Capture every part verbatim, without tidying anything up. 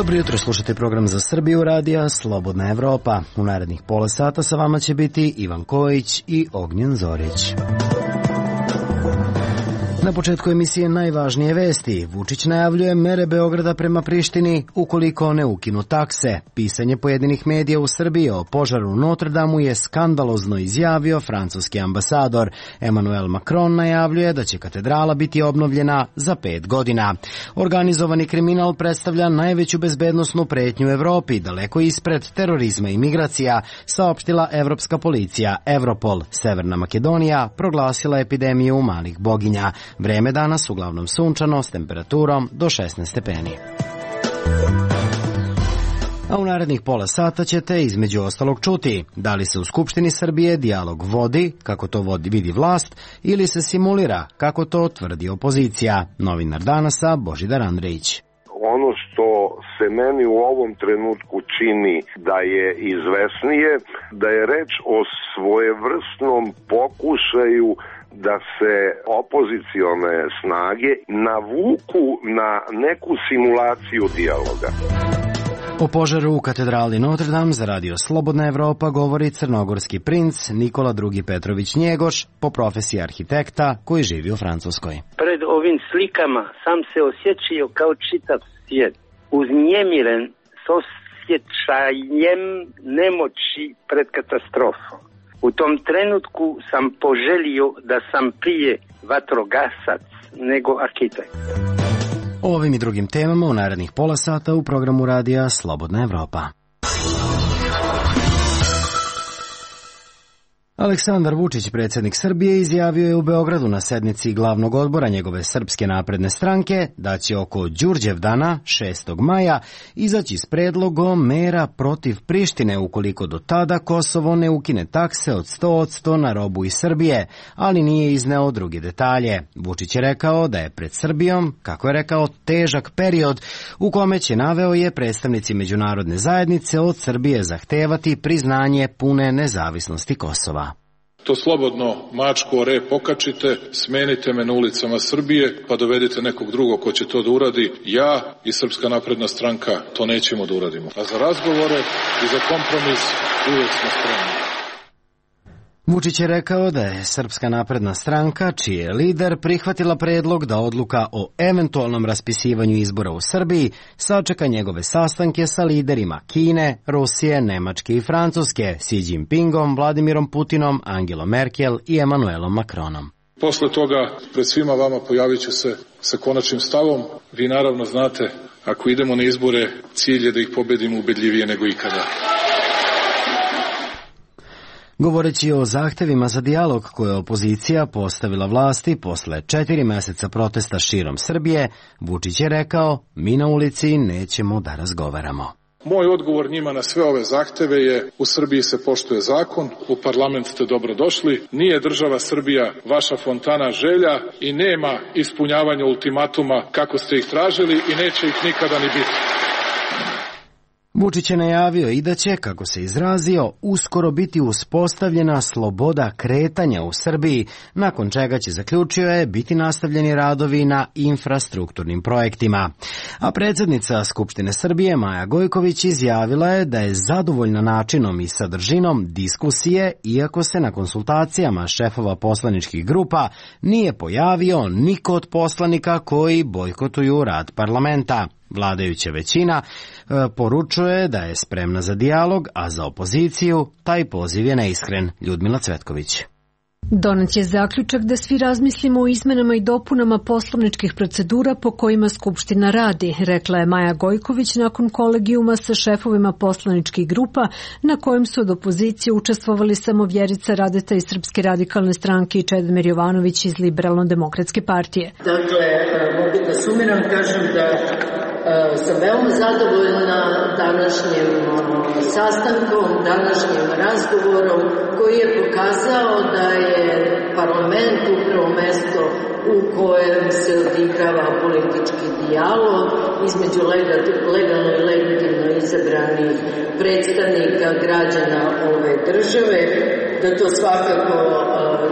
Dobro jutro, slušate program za Srbiju radija Slobodna Evropa. U narednih pola sata sa vama će biti Ivan Kojić i Ognjen Zorić. Na početku emisije najvažnije vesti. Vučić najavljuje mere Beograda prema Prištini ukoliko ne ukinu takse. Pisanje pojedinih medija u Srbiji o požaru u Notre Damu je skandalozno, izjavio francuski ambasador. Emmanuel Macron najavljuje da će katedrala biti obnovljena za pet godina. Organizovani kriminal predstavlja najveću bezbednosnu pretnju u Evropi, daleko ispred terorizma i migracija, saopštila evropska policija. Europol. Severna Makedonija proglasila epidemiju malih boginja. Vreme danas uglavnom sunčano s temperaturom do šesnaest stepeni. A u narednih pola sata ćete između ostalog čuti da li se u Skupštini Srbije dijalog vodi, kako to vodi vidi vlast, ili se simulira, kako to tvrdi opozicija. Novinar Danasa Božidar Andrejić. Ono što se meni u ovom trenutku čini da je izvesnije, da je reč o svojevrsnom pokušaju da se opozicione snage navuku na neku simulaciju dijaloga. O požaru u katedrali Notre Dame za radio Slobodna Evropa govori crnogorski princ Nikola drugi Petrović Njegoš, po profesiji arhitekta koji živi u Francuskoj. Pred ovim slikama sam se osjećao kao čitav svijet, uznjemiren s osjećajem nemoći pred katastrofom. U tom trenutku sam poželio da sam prije vatrogasac nego arhitekt. O ovim i drugim temama u narednih pola sata u programu radija Slobodna Evropa. Aleksandar Vučić, predsjednik Srbije, izjavio je u Beogradu na sednici glavnog odbora njegove Srpske napredne stranke da će oko Đurđevdana, šestog maja, izaći s predlogom mera protiv Prištine ukoliko do tada Kosovo ne ukine takse od sto posto na robu iz Srbije, ali nije izneo druge detalje. Vučić je rekao da je pred Srbijom, kako je rekao, težak period u kome će, naveo je, predstavnici međunarodne zajednice od Srbije zahtevati priznanje pune nezavisnosti Kosova. To slobodno mačku o rep pokačite, smenite me na ulicama Srbije, pa dovedite nekog drugog ko će to da uradi. Ja i Srpska napredna stranka to nećemo da uradimo. A za razgovore i za kompromis uvek smo spremni. Vučić je rekao da je Srpska napredna stranka, čiji je lider, prihvatila predlog da odluka o eventualnom raspisivanju izbora u Srbiji sačeka njegove sastanke sa liderima Kine, Rusije, Nemačke i Francuske, Xi Jinpingom, Vladimirom Putinom, Angelom Merkel i Emmanuelom Macronom. Posle toga pred svima vama pojavit ću se sa konačnim stavom. Vi naravno znate, ako idemo na izbore, cilj je da ih pobedimo ubedljivije nego ikada. Govoreći o zahtevima za dijalog koje je opozicija postavila vlasti posle četiri meseca protesta širom Srbije, Vučić je rekao: mi na ulici nećemo da razgovaramo. Moj odgovor njima na sve ove zahteve je: u Srbiji se poštuje zakon, u parlament ste dobrodošli, nije država Srbija vaša fontana želja i nema ispunjavanja ultimatuma kako ste ih tražili i neće ih nikada ni biti. Vučić je najavio i da će, kako se izrazio, uskoro biti uspostavljena sloboda kretanja u Srbiji, nakon čega će, zaključio je, biti nastavljeni radovi na infrastrukturnim projektima. A predsjednica Skupštine Srbije Maja Gojković izjavila je da je zadovoljna načinom i sadržinom diskusije, iako se na konsultacijama šefova poslaničkih grupa nije pojavio niko od poslanika koji bojkotuju rad parlamenta. Vladajuća većina e, poručuje da je spremna za dijalog, a za opoziciju taj poziv je neiskren. Ljudmila Cvetković. Donet je zaključak da svi razmislimo o izmenama i dopunama poslovničkih procedura po kojima Skupština radi, rekla je Maja Gojković nakon kolegijuma sa šefovima poslaničkih grupa na kojem su od opozicije učestvovali samo Vjerica Radeta iz Srpske radikalne stranke i Čedomir Jovanović iz Liberalno-demokratske partije. Dakle, mogu da sumiram, kažem da sam veoma zadovoljna današnjim sastankom, današnjim razgovorom koji je pokazao da je parlament upravo mesto u kojem se odigrava politički dijalog između legalno i legitimno izabranih predstavnika građana ove države, da to svakako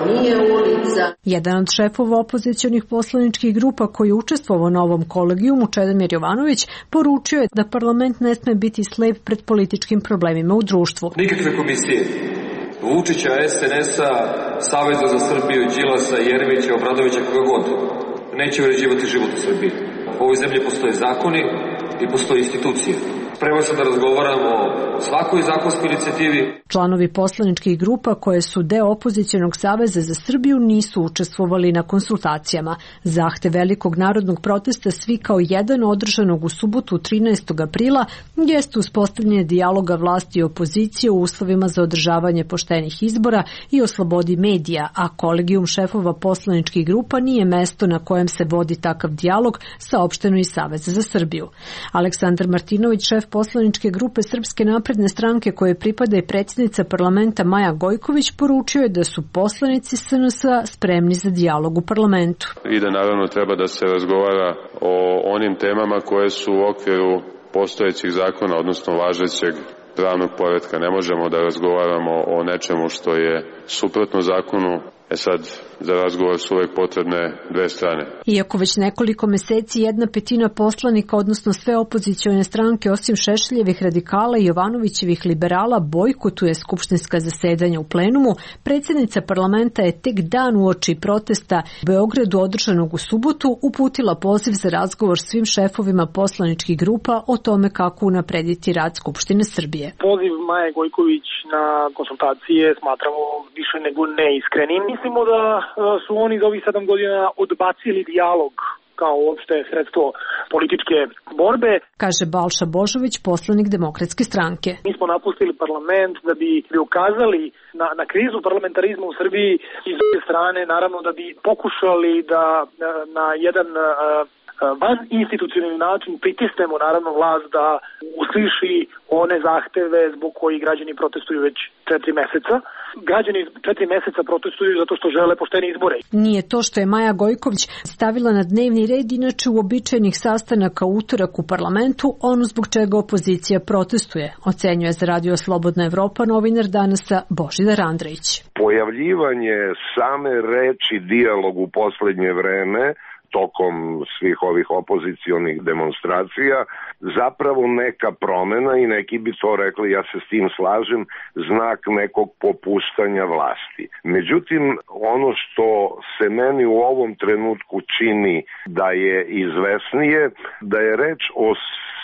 nije ulica. Jedan od šefova opozicionih poslaničkih grupa koji je učestvovao na ovom kolegijumu, Čedomir Jovanović, poručio je da parlament ne sme biti slep pred političkim problemima u društvu. Nikakve komisije Vučića, es en es-a, Saveza za Srbiju, Đilasa, Jeremića, Obradovića, koga god, neće uređivati život u Srbiji. U ovoj zemlji postoje zakoni i postoje institucije. Spreman sam da razgovaram o svakoj zakonskoj inicijativi. Članovi poslaničkih grupa koje su deo opozicionog saveza za Srbiju nisu učestvovali na konsultacijama. Zahtev velikog narodnog protesta Svi kao jedan održanog u subotu trinaestog aprila jeste uspostavljanje dijaloga vlasti i opozicije u uslovima za održavanje poštenih izbora i o slobodi medija, a kolegijum šefova poslaničkih grupa nije mesto na kojem se vodi takav dijalog, saopšteno iz Saveza za Srbiju. Aleksandar Martinović, šef poslaničke grupe Srpske napredne stranke koje pripada i predsjednica parlamenta Maja Gojković, poručio je da su poslanici es en es-a spremni za dijalog u parlamentu. I da naravno treba da se razgovara o onim temama koje su u okviru postojećih zakona, odnosno važećeg pravnog poretka. Ne možemo da razgovaramo o nečemu što je suprotno zakonu. E sad, za razgovor su uvek potrebne dve strane. Iako već nekoliko meseci jedna petina poslanika, odnosno sve opozicione stranke osim Šešeljevih radikala i Jovanovićevih liberala bojkotuje skupštinska zasedanja u plenumu, predsjednica parlamenta je tek dan uoči protesta u Beogradu održanog u subotu uputila poziv za razgovor svim šefovima poslaničkih grupa o tome kako unaprediti rad Skupštine Srbije. Poziv Maje Gojković na konsultacije smatramo više nego neiskrenim. Mislimo da su oni za ovih sedam godina odbacili dijalog kao uopšte sredstvo političke borbe. Kaže Balša Božović, poslanik Demokratske stranke. Mi smo napustili parlament da bi, bi ukazali na, na krizu parlamentarizma u Srbiji i s druge strane, naravno da bi pokušali da na, na jedan van institucionalni način pritisnemo naravno vlast da usliši one zahteve zbog koji građani protestuju već četiri meseca. Građani četiri meseca protestuju zato što žele poštene izbore. Nije to što je Maja Gojković stavila na dnevni red inače uobičajenih sastanaka utorak u parlamentu, ono zbog čega opozicija protestuje, ocenjuje za Radio Slobodna Evropa novinar Danasa Božidar Andrejić. Pojavljivanje same reči dijalog u poslednje vreme tokom svih ovih opozicionih demonstracija zapravo neka promena i neki bi to rekli, ja se s tim slažem, znak nekog popuštanja vlasti. Međutim, ono što se meni u ovom trenutku čini da je izvesnije, da je reč o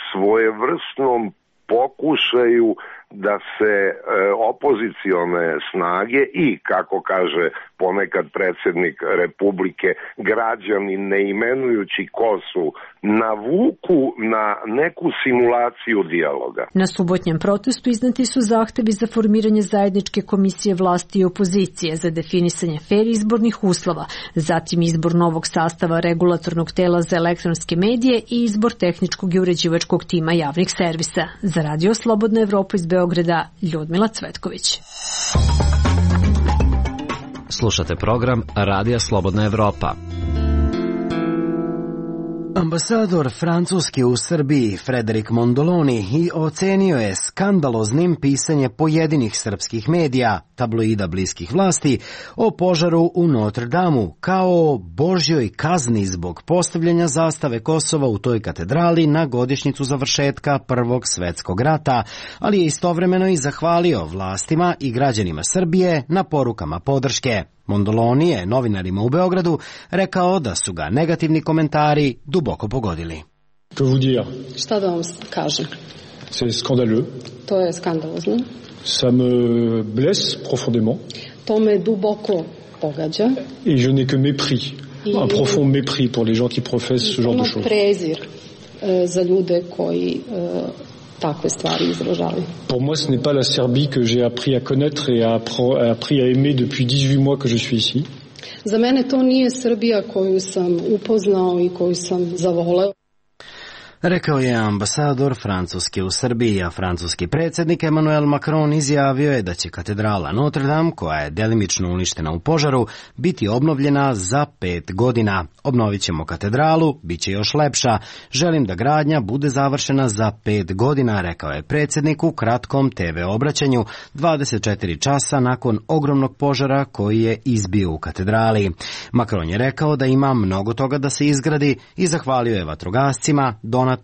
svojevrsnom pokušaju da se e, opozicione snage i, kako kaže ponekad predsjednik Republike, građani ne imenujući ko su, navuku na neku simulaciju dijaloga. Na subotnjem protestu izneti su zahtevi za formiranje zajedničke komisije vlasti i opozicije za definisanje fer izbornih uslova, zatim izbor novog sastava regulatornog tela za elektronske medije i izbor tehničkog i uređivačkog tima javnih servisa. Za Radio Slobodna Evropa iz Beograda, Ljudmila Cvetković. Slušate program Radija Slobodna Evropa. Ambasador Francuske u Srbiji Frederic Mondoloni i ocenio je skandaloznim pisanje pojedinih srpskih medija, tabloida bliskih vlasti, o požaru u Notre Damu kao božjoj kazni zbog postavljanja zastave Kosova u toj katedrali na godišnjicu završetka Prvog svetskog rata, ali je istovremeno i zahvalio vlastima i građanima Srbije na porukama podrške. Mondoloni je novinarima u Beogradu rekao da su ga negativni komentari duboko pogodili. Šta da vam kažem? C'est scandaleux. To je skandalozno. Ça me blesse profondément. To me duboko pogađa. Et je n'ai que mépris, I... un profond mépris pour les gens qui professent ce genre de choses. Prezir za ljude koji takve stvari izražavaju. Pour moi, ce n'est pas la Serbie que j'ai appris à connaître et à appris à aimer depuis dix-huit mois que je suis ici. Za mene to nije Srbija koju sam upoznao i koju sam zavoleo. Rekao je ambasador Francuske u Srbiji, a francuski predsjednik Emmanuel Macron izjavio je da će katedrala Notre Dame, koja je delimično uništena u požaru, biti obnovljena za pet godina. Obnovit ćemo katedralu, bit će još lepša. Želim da gradnja bude završena za pet godina, rekao je predsjednik u kratkom te ve obraćanju dvadeset četiri časa nakon ogromnog požara koji je izbio u katedrali. Macron je rekao da ima mnogo toga da se izgradi i zahvalio je vatrogascima, donatorima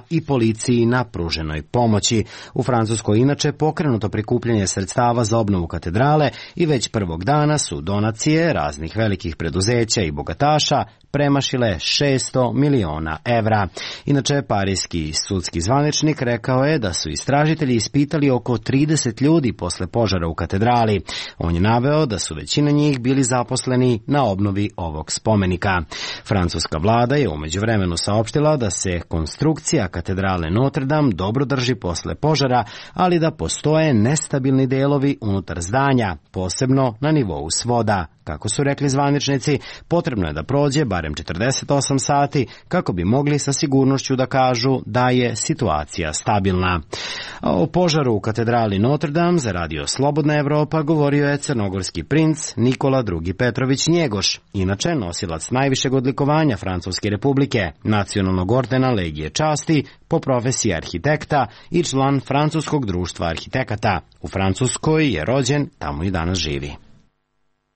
i policiji na pruženoj pomoći. U Francuskoj inače pokrenuto prikupljanje sredstava za obnovu katedrale i već prvog dana su donacije raznih velikih preduzeća i bogataša premašile šesto miliona evra. Inače, parijski sudski zvaničnik rekao je da su istražitelji ispitali oko trideset ljudi posle požara u katedrali. On je naveo da su većina njih bili zaposleni na obnovi ovog spomenika. Francuska vlada je u međuvremenu saopštila da se konstrukcija katedrale Notre Dame dobro drži posle požara, ali da postoje nestabilni delovi unutar zdanja, posebno na nivou svoda. Kako su rekli zvaničnici, potrebno je da prođe barem četrdeset osam sati kako bi mogli sa sigurnošću da kažu da je situacija stabilna. A o požaru u katedrali Notre Dame za radio Slobodna Evropa govorio je crnogorski princ Nikola drugi Petrović Njegoš, inače nosilac najvišeg odlikovanja Francuske republike, nacionalnog ordena Legije časti, po profesiji arhitekta i član Francuskog društva arhitekata. U Francuskoj je rođen, tamo i danas živi.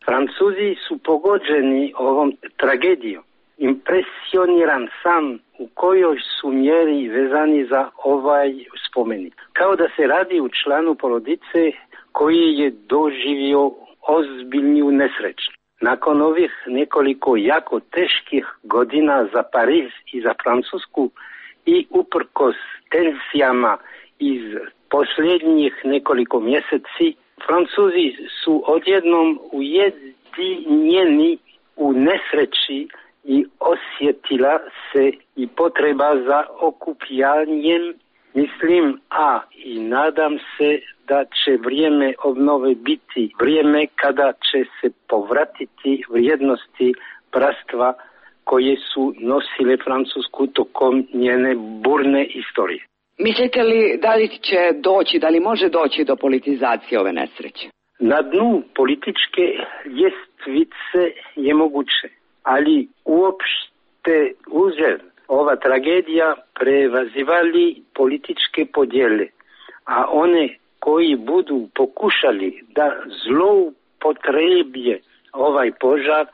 Francuzi su pogođeni ovom tragedijom. Impresioniran sam u kojoj su mjeri vezani za ovaj spomenik. Kao da se radi u članu porodice koji je doživio ozbiljnu nesreću. Nakon ovih nekoliko jako teških godina za Pariz i za Francusku i uprkos tenzijama iz posljednjih nekoliko mjeseci, Francuzi su odjednom ujedinjeni u nesreći i osjetila se i potreba za okupljanjem. Mislim, a i nadam se da će vrijeme obnove biti vrijeme kada će se povratiti vrijednosti bratstva koje su nosile Francusku tokom njene burne istorije. Mislite li da li će doći, da li može doći do politizacije ove nesreće? Na dnu političke ljestvice je moguće, ali uopšte uzer ova tragedija prevazivali političke podjele, a one koji budu pokušali da zloupotrebje ovaj požar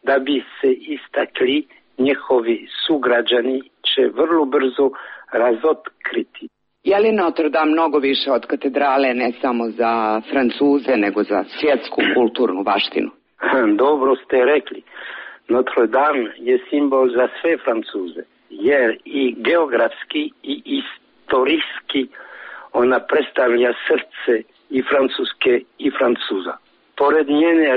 da bi se istakli njihovi sugrađani će vrlo brzo razotkriti. Je li Notre Dame mnogo više od katedrale ne samo za Francuze, nego za svjetsku kulturnu baštinu? Dobro ste rekli. Notre Dame je simbol za sve Francuze, jer i geografski i istorijski ona predstavlja srce i Francuske i Francuza. Pored njene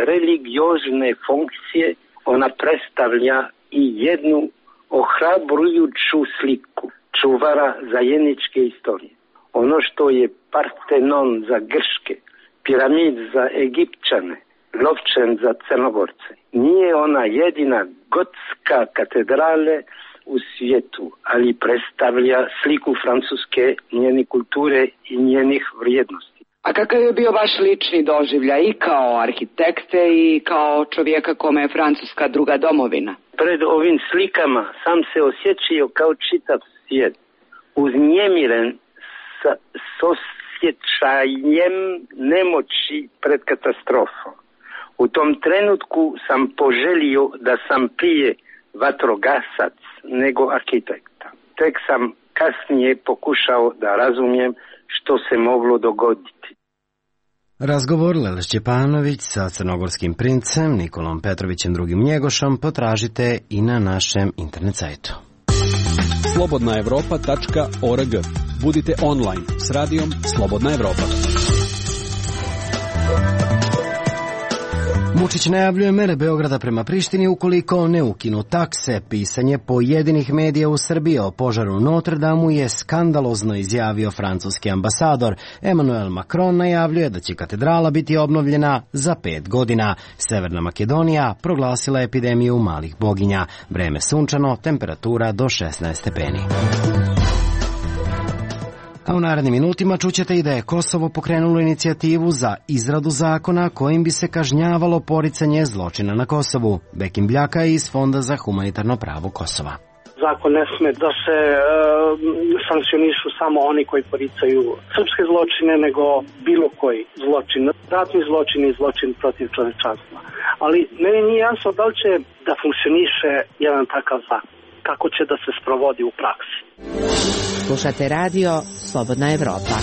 religiozne funkcije, ona predstavlja i jednu ohrabrujuću sliku čuvara zajedničke istorije. Ono što je Partenon za Grške, piramid za Egipćane, Lovčan za Crnogorce. Nije ona jedina gotska katedrale u svijetu, ali predstavlja sliku Francuske, njene kulture i njenih vrijednosti. A kakav je bio vaš lični doživljaj i kao arhitekte i kao čovjeka kome je Francuska druga domovina? Pred ovim slikama sam se osjećao kao čitav svijet, uznemiren sa, s osjećajem nemoći pred katastrofom. U tom trenutku sam poželio da sam prije vatrogasac nego arhitekta. Tek sam kasnije pokušao da razumijem što se moglo dogoditi. Razgovor Lele Šćepanović sa crnogorskim princem Nikolom Petrovićem drugim Njegošom potražite i na našem internet sajtu. slobodna evropa tačka org. Budite online s radijom Slobodna Evropa. Vučić najavljuje mere Beograda prema Prištini ukoliko ne ukinu takse. Pisanje pojedinih medija u Srbiji o požaru u Notre Damu je skandalozno, izjavio francuski ambasador. Emmanuel Macron najavljuje da će katedrala biti obnovljena za pet godina. Severna Makedonija proglasila epidemiju malih boginja. Vreme sunčano, temperatura do šesnaest stepeni. A u narednim minutima čućete i da je Kosovo pokrenulo inicijativu za izradu zakona kojim bi se kažnjavalo poricanje zločina na Kosovu. Bekim Bljaka je iz Fonda za humanitarno pravo Kosova. Zakon ne sme da se e, sankcionišu samo oni koji poricaju srpske zločine, nego bilo koji zločin, ratni zločin i zločin protiv čovečanstva. Ali meni nije jasno da li će da funkcioniše jedan takav zakon, kako će da se sprovodi u praksi. Slušate radio Slobodna Evropa.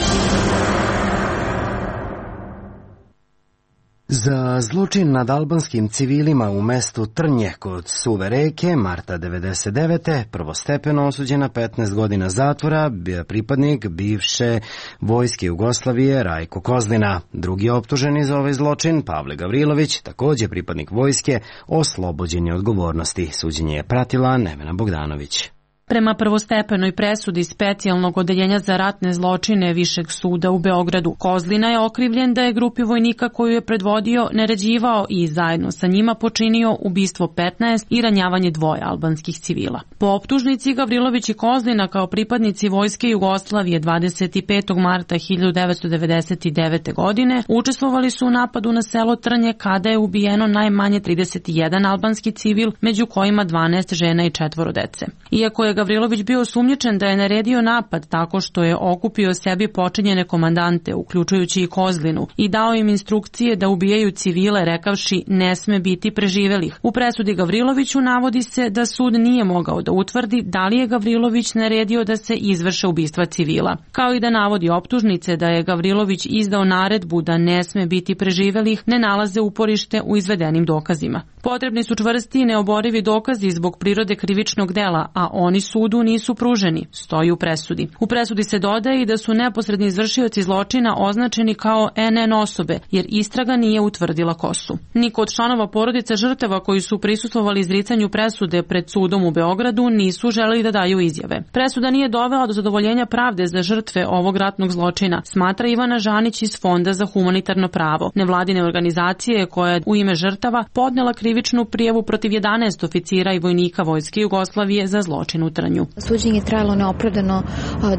Za zločin nad albanskim civilima u mestu Trnje kod Suve reke marta devedeset devete prvostepeno osuđen na petnaest godina zatvora bio pripadnik bivše vojske Jugoslavije Rajko Kozlina. Drugi optuženi za ovaj zločin, Pavle Gavrilović, takođe pripadnik vojske, oslobođen je odgovornosti. Suđenje je pratila Nevena Bogdanović. Prema prvostepenoj presudi specijalnog odeljenja za ratne zločine Višeg suda u Beogradu, Kozlina je okrivljen da je grupi vojnika koju je predvodio naređivao i zajedno sa njima počinio ubistvo petnaest i ranjavanje dvoje albanskih civila. Po optužnici Gavrilović i Kozlina kao pripadnici vojske Jugoslavije dvadeset petog marta hiljadu devetsto devedeset devete. godine učestvovali su u napadu na selo Trnje kada je ubijeno najmanje trideset jedan albanski civil, među kojima dvanaest žena i četvoro dece. Iako je Gavrilović bio osumnjičen da je naredio napad tako što je okupio sebi počinjene komandante, uključujući i Kozlinu, i dao im instrukcije da ubijaju civile rekavši ne sme biti preživelih. U presudi Gavriloviću navodi se da sud nije mogao da utvrdi da li je Gavrilović naredio da se izvrše ubistva civila, kao i da navodi optužnice da je Gavrilović izdao naredbu da ne sme biti preživelih, ne nalaze uporište u izvedenim dokazima. Potrebni su čvrsti i neoborivi dokazi zbog prirode krivičnog dela, a oni sudu nisu pruženi, stoji u presudi. U presudi se dodaje i da su neposredni izvršioci zločina označeni kao en en osobe, jer istraga nije utvrdila ko su. Niko od članova porodice žrtava koji su prisustvovali izricanju presude pred sudom u Beogradu nisu želeli da daju izjave. Presuda nije dovela do zadovoljenja pravde za žrtve ovog ratnog zločina, smatra Ivana Žanić iz Fonda za humanitarno pravo, nevladine organizacije koja je u ime žrtava podnela krivičnu prijavu protiv jedanaest oficira i vojnika vojske Jugoslavije za zločin u Trnju. Suđenje je trajalo neopravdano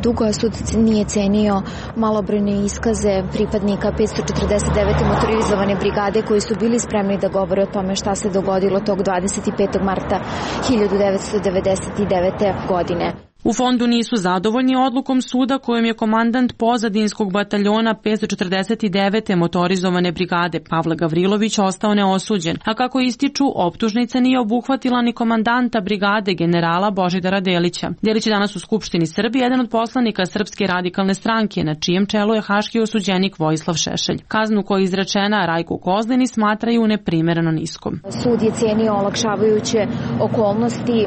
dugo, a sud nije cenio malobrojne iskaze pripadnika petsto četrdeset devete motorizovane brigade koji su bili spremni da govore o tome šta se dogodilo tog dvadeset petog marta hiljadu devetsto devedeset devete. godine. U fondu nisu zadovoljni odlukom suda kojom je komandant pozadinskog bataljona petsto četrdeset devete motorizovane brigade Pavle Gavrilović ostao neosuđen, a kako ističu, optužnica nije obuhvatila ni komandanta brigade generala Božidara Delića. Delić je danas u Skupštini Srbije jedan od poslanika Srpske radikalne stranke, na čijem čelu je haški osuđenik Vojislav Šešelj. Kaznu koja je izrečena Rajku Kozlini smatraju neprimereno niskom. Sud je cijenio olakšavajuće okolnosti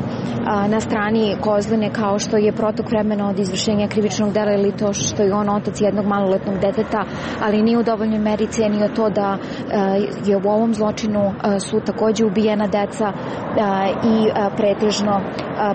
na strani Kozline kao što je protok vremena od izvršenja krivičnog dela ili to što je on otac jednog maloletnog deteta, ali nije u dovoljnoj meri cijenio to da je u ovom zločinu su takođe ubijena deca i pretežno,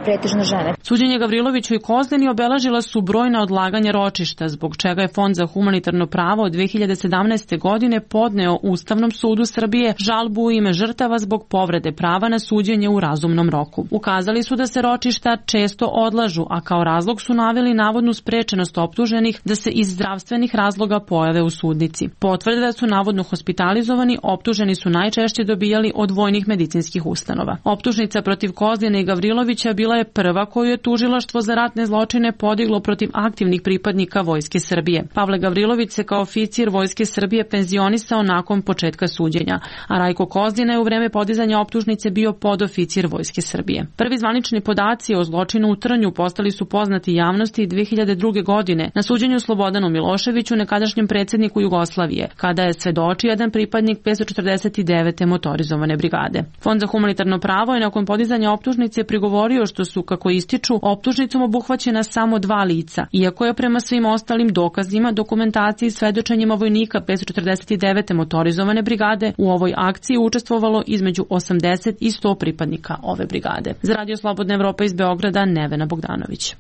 pretežno žene. Suđenje Gavriloviću i Kozlini obeležila su brojna odlaganja ročišta, zbog čega je Fond za humanitarno pravo od dve hiljade sedamnaeste. godine podneo Ustavnom sudu Srbije žalbu u ime žrtava zbog povrede prava na suđenje u razumnom roku. Ukazali su da se ročišta često odlažu, a kao razlog su naveli navodnu sprečenost optuženih da se iz zdravstvenih razloga pojave u sudnici. Potvrde da su navodno hospitalizovani, optuženi su najčešće dobijali od vojnih medicinskih ustanova. Optužnica protiv Kozline i Gavrilovića bila je prva koju je tužilaštvo za ratne zločine podiglo protiv aktivnih pripadnika Vojske Srbije. Pavle Gavrilović se kao oficir Vojske Srbije penzionisao nakon početka suđenja, a Rajko Kozlina je u vreme podizanja optužnice bio podoficir Vojske Srbije. Prvi zvanični podaci o zločinu u Trnju postali su poznati javnosti dve hiljade druge. godine na suđenju Slobodanu Miloševiću, nekadašnjem predsjedniku Jugoslavije, kada je svedočio jedan pripadnik petsto četrdeset devete motorizovane brigade. Fond za humanitarno pravo je nakon podizanja optužnice prigovorio što su, kako ističu, optužnicom obuhvaćena samo dva lica, iako je prema svim ostalim dokazima, dokumentaciji i svedočenjima vojnika petsto četrdeset devete motorizovane brigade u ovoj akciji učestvovalo između osamdeset i sto pripadnika ove brigade. Za Radio Slobodna Evropa iz Beograda, Nevena Bogdanović.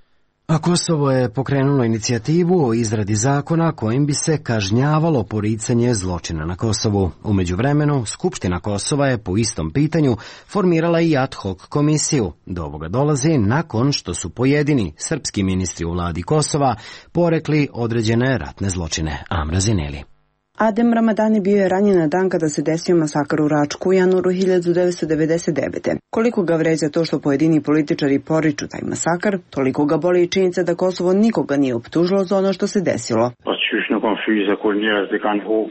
A Kosovo je pokrenulo inicijativu o izradi zakona kojim bi se kažnjavalo poricanje zločina na Kosovu. U međuvremenu, Skupština Kosova je po istom pitanju formirala i ad hoc komisiju. Do ovoga dolazi nakon što su pojedini srpski ministri u vladi Kosova porekli određene ratne zločine. Amra Zineli. Adem Ramadani bio je ranjen na dan kada se desio masakar u Račku u januaru hiljadu devetsto devedeset devete. Koliko ga vređa to što pojedini političari poriču taj masakar, toliko ga boli i činjenica da Kosovo nikoga nije optužilo za ono što se desilo.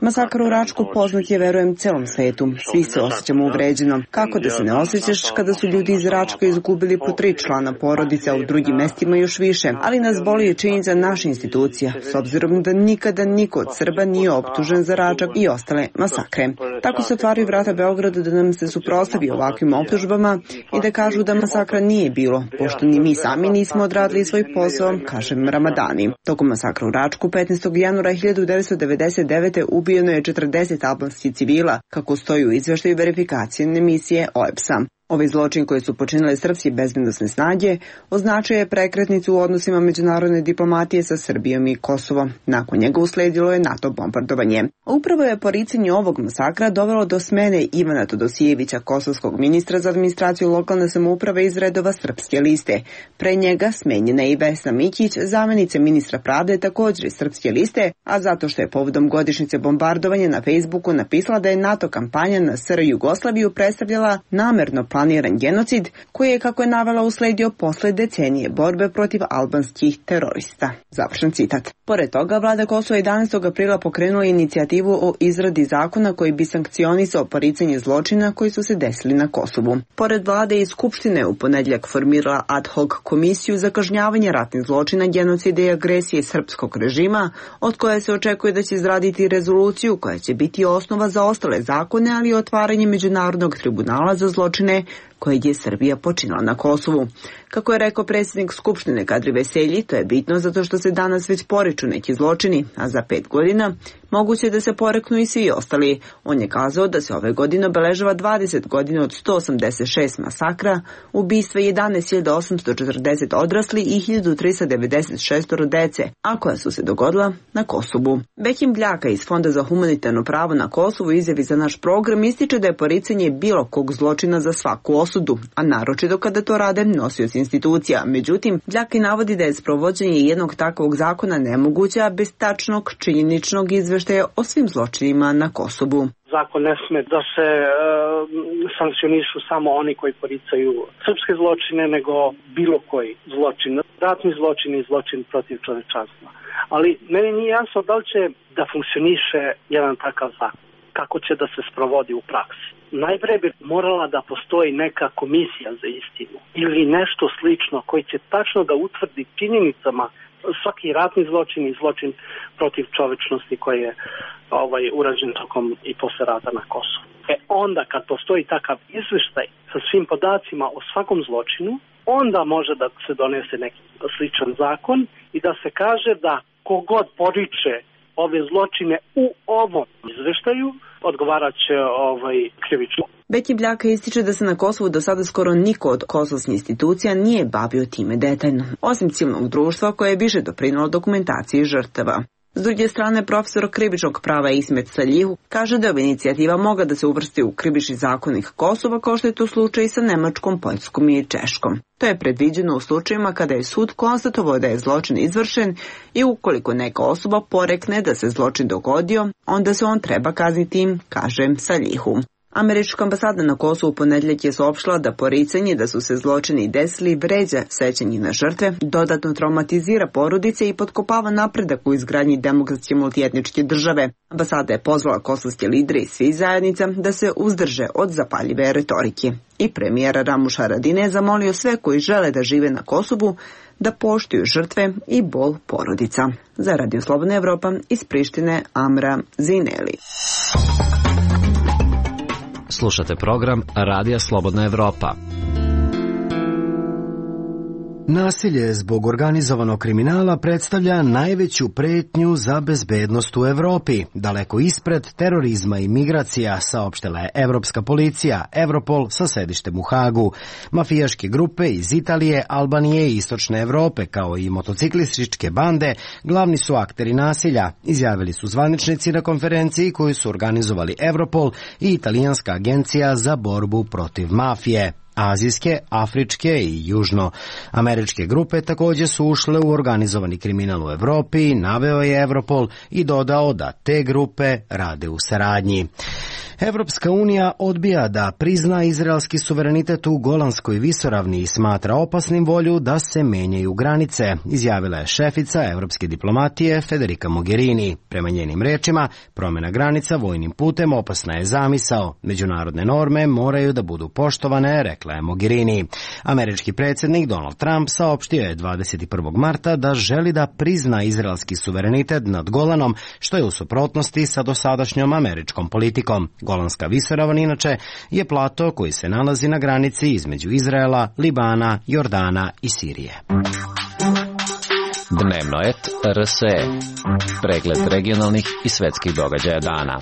Masakar u Račku poznat je, verujem, celom svetu. Svi se osjećamo uvređeno. Kako da se ne osjećaš kada su ljudi iz Račka izgubili po tri člana porodice, a u drugim mestima još više. Ali nas boli i činjenica naša institucija, s obzirom da nikada niko od Srba nije optužen za Račak i ostale masakre. Tako se otvaraju vrata Beogradu da nam se suprotstavi ovakvim optužbama i da kažu da masakra nije bilo, pošto ni mi sami nismo odradili svoj posao, kaže Ramadani. Tokom masakra u Račku petnaestog januara hiljadu devetsto devedeset devete ubijeno je četrdeset albanskih civila, kako stoji u izveštaju verifikacijne misije O E B S-a. Ovaj zločin koji su počinile srpske bezbednosne snage označio je prekretnicu u odnosima međunarodne diplomatije sa Srbijom i Kosovom. Nakon njega usledilo je NATO bombardovanje. Upravo je poricanje ovog masakra dovelo do smene Ivana Todosijevića, kosovskog ministra za administraciju lokalne samouprave iz redova Srpske liste. Pre njega smenjena je i Vesna Mićić, zamjenica ministra pravde, također iz Srpske liste, a zato što je povodom godišnjice bombardovanja na Facebooku napisala da je NATO kampanja na S R Jugoslaviju predstavljala namerno planiran genocid, koji je, kako je navela, usledio posle decenije borbe protiv albanskih terorista. Završen citat. Pored toga, vlada Kosova jedanaestog aprila pokrenula inicijativu o izradi zakona koji bi sankcionisao poricanje zločina koji su se desili na Kosovu. Pored vlade i Skupštine u ponedjeljak formirala ad hoc komisiju za kažnjavanje ratnih zločina, genocida i agresije srpskog režima, od koje se očekuje da će izraditi rezoluciju koja će biti osnova za ostale zakone, ali i otvaranje Međunarodnog tribunala za zločine koje je Srbija počinila na Kosovu. Kako je rekao predsjednik Skupštine Kadri Veselji, to je bitno zato što se danas već poriču neki zločini, a za pet godina moguće je da se poreknu i svi ostali. On je kazao da se ove godine obeležava dvadeset godina od sto osamdeset šest masakra, ubistva jedanaest hiljada osamsto četrdeset odrasli i hiljadu trista devedeset šest dece, a koja su se dogodila na Kosovu. Bekim Bljaka iz Fonda za humanitarno pravo na Kosovu izjavi za naš program ističe da je poricanje bilo kog zločina za svaku osudu, a naročito kada to rade nosioci institucija. Međutim, Bljaka navodi da je sprovođenje jednog takvog zakona nemoguće, a bez tačnog činjeničnog izveštaja o svim zločinima na Kosovu. Zakon ne sme da se e, sankcionišu samo oni koji poricaju srpske zločine, nego bilo koji zločin, ratni zločin i zločin protiv čovečanstva. Ali meni nije jasno da li će da funkcioniše jedan takav zakon, kako će da se sprovodi u praksi. Najpre bi morala da postoji neka komisija za istinu ili nešto slično koji će tačno da utvrdi činjenicama svaki ratni zločin i zločin protiv čovečnosti koji je ovaj, urađen tokom i posle rata na Kosovu. E onda kad postoji takav izveštaj sa svim podacima o svakom zločinu, onda može da se donese neki sličan zakon i da se kaže da kogod poriče ove zločine u ovom izveštaju odgovarat će ovaj, krivično. Beki Bljaka ističe da se na Kosovu do sada skoro niko od kosovskih institucija nije bavio time detaljno, osim civilnog društva koje je više doprinalo dokumentaciji žrtava. S druge strane, profesor krivičnog prava Ismet Saljihu kaže da ova inicijativa mogla da se uvrsti u krivični zakonik Kosova, kao što je to slučaj sa Nemačkom, Poljskom i Češkom. To je predviđeno u slučajima kada je sud konstatovao da je zločin izvršen i ukoliko neka osoba porekne da se zločin dogodio, onda se on treba kazniti, kaže Saljihu. Američka ambasada na Kosovu ponedjeljak je saopštila da poricanje da su se zločini desili vređa sećanje na žrtve, dodatno traumatizira porodice i potkopava napredak u izgradnji demokratske multietničke države. Ambasada je pozvala kosovske lidere i svih zajednica da se uzdrže od zapaljive retorike. I premijer Ramuš Haradinaj je zamolio sve koji žele da žive na Kosovu da poštuju žrtve i bol porodica. Za Radio Slobodna Evropa iz Prištine, Amra Zineli. Slušate program Radija Slobodna Evropa. Nasilje zbog organizovanog kriminala predstavlja najveću pretnju za bezbednost u Evropi, daleko ispred terorizma i migracija, saopštila je Evropska policija, Europol sa sedištem u Hagu. Mafijaške grupe iz Italije, Albanije i Istočne Evrope, kao i motociklističke bande, glavni su akteri nasilja, izjavili su zvaničnici na konferenciji koju su organizovali Europol i Italijanska agencija za borbu protiv mafije. Azijske, afričke i južnoameričke grupe također su ušle u organizovani kriminal u Evropi, naveo je Europol i dodao da te grupe rade u saradnji. Evropska unija odbija da prizna izraelski suverenitet u Golanskoj visoravni i smatra opasnim volju da se menjaju granice, izjavila je šefica evropske diplomatije Federica Mogherini. Prema njenim rečima, promjena granica vojnim putem opasna je zamisao. Međunarodne norme moraju da budu poštovane, rekla je Mogherini. Američki predsjednik Donald Trump saopštio je dvadeset prvog marta da želi da prizna izraelski suverenitet nad Golanom, što je u suprotnosti sa dosadašnjom američkom politikom. Golanska visoravan inače je plato koji se nalazi na granici između Izraela, Libana, Jordana i Sirije. Dnevno et R S E. Pregled regionalnih i svetskih događaja dana.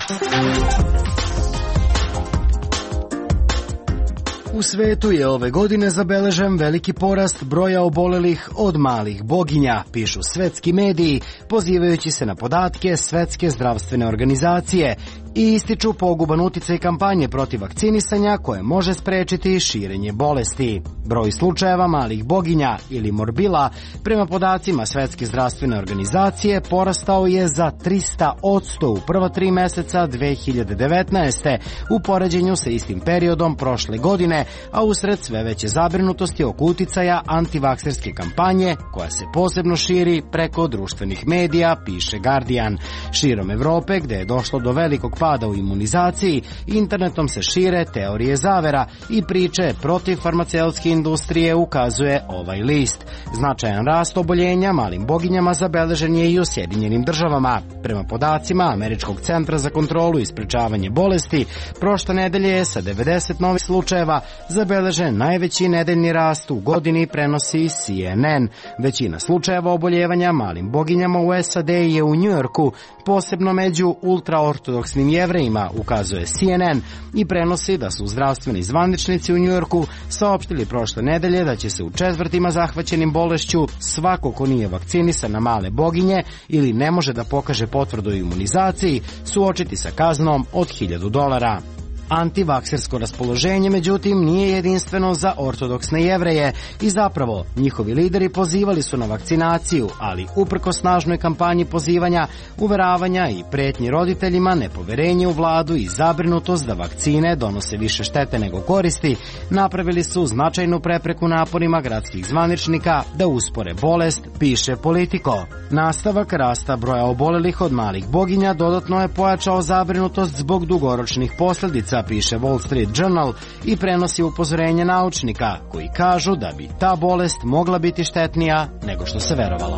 U svetu je ove godine zabeležen veliki porast broja obolelih od malih boginja, pišu svetski mediji, pozivajući se na podatke Svetske zdravstvene organizacije i ističu poguban uticaj kampanje protiv vakcinisanja koje može sprečiti širenje bolesti. Broj slučajeva malih boginja ili morbila prema podacima Svetske zdravstvene organizacije porastao je za trista posto u prva tri meseca dve hiljade devetnaeste. u poređenju sa istim periodom prošle godine, a usred sve veće zabrinutosti oko uticaja antivakserske kampanje koja se posebno širi preko društvenih medija, piše Guardian. Širom Evrope, gde je došlo do velikog pada u imunizaciji, internetom se šire teorije zavera i priče protiv farmaceutske industrije, ukazuje ovaj list. Značajan rast oboljenja malim boginjama zabeležen je i u Sjedinjenim državama. Prema podacima Američkog centra za kontrolu i sprečavanje bolesti, prošle nedelje je sa devedeset novih slučajeva zabeležen najveći nedeljni rast u godini, prenosi C N N. Većina slučajeva oboljevanja malim boginjama u S A D je u Njujorku, posebno među ultraortodoksnim jevrejima, ukazuje C N N i prenosi da su zdravstveni zvaničnici u Njujorku saopštili prošle nedelje da će se u četvrtima zahvaćenim bolešću svako ko nije vakcinisan na male boginje ili ne može da pokaže potvrdu o imunizaciji suočiti sa kaznom od hiljadu dolara. Antivaksersko raspoloženje, međutim, nije jedinstveno za ortodoksne jevreje i zapravo njihovi lideri pozivali su na vakcinaciju, ali uprko snažnoj kampanji pozivanja, uveravanja i pretnji roditeljima, nepoverenje u vladu i zabrinutost da vakcine donose više štete nego koristi, napravili su značajnu prepreku naporima gradskih zvaničnika da uspore bolest, piše Politico. Nastavak rasta broja obolelih od malih boginja dodatno je pojačao zabrinutost zbog dugoročnih posljedica, piše Wall Street Journal i prenosi upozorenje naučnika koji kažu da bi ta bolest mogla biti štetnija nego što se verovalo.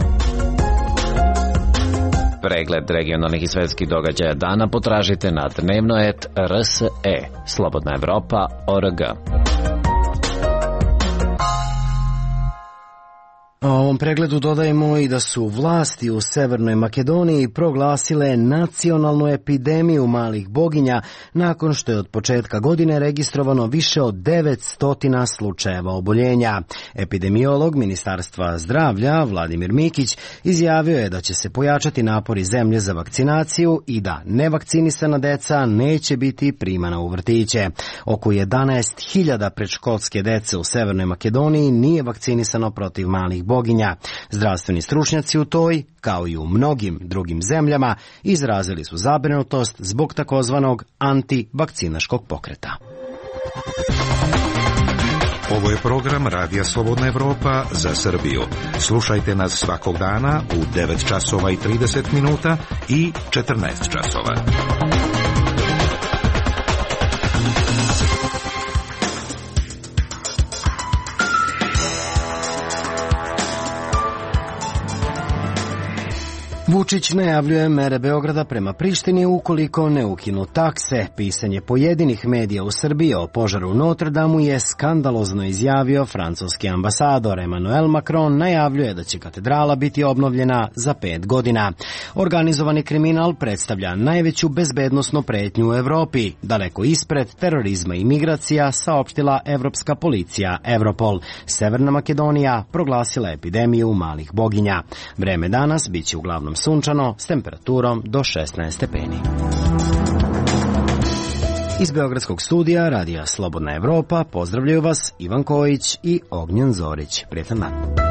Pregled regionalnih i svetskih događaja dana potražite na dnevno et R S E. Slobodna Evropa org. O ovom pregledu dodajemo i da su vlasti u Severnoj Makedoniji proglasile nacionalnu epidemiju malih boginja nakon što je od početka godine registrovano više od devetsto slučajeva oboljenja. Epidemiolog Ministarstva zdravlja Vladimir Mikić izjavio je da će se pojačati napori zemlje za vakcinaciju i da nevakcinisana deca neće biti primana u vrtiće. Oko jedanaest hiljada predškolske dece u Severnoj Makedoniji nije vakcinisano protiv malih boginja. cijepljenja. Zdravstveni stručnjaci u toj, kao i u mnogim drugim zemljama, izrazili su zabrinutost zbog takozvanog antivakcinaškog pokreta. Ovo je program Radija Slobodna Evropa za Srbiju. Slušajte nas svakog dana u devet časova i trideset minuta i četrnaest časova. Vučić najavljuje mere Beograda prema Prištini ukoliko ne ukinu takse. Pisanje pojedinih medija u Srbiji o požaru u Notre Damu je skandalozno izjavio francuski ambasador. Emmanuel Macron najavljuje da će katedrala biti obnovljena za pet godina. Organizovani kriminal predstavlja najveću bezbednosnu pretnju u Evropi, daleko ispred terorizma i migracija, saopštila evropska policija Europol. Severna Makedonija proglasila epidemiju malih boginja. Vreme danas biće uglavnom sunčano s temperaturom do šesnaest stepeni. Iz Beogradskog studija Radija Slobodna Evropa pozdravljaju vas Ivan Kojić i Ognjen Zorić. Prijetan dan.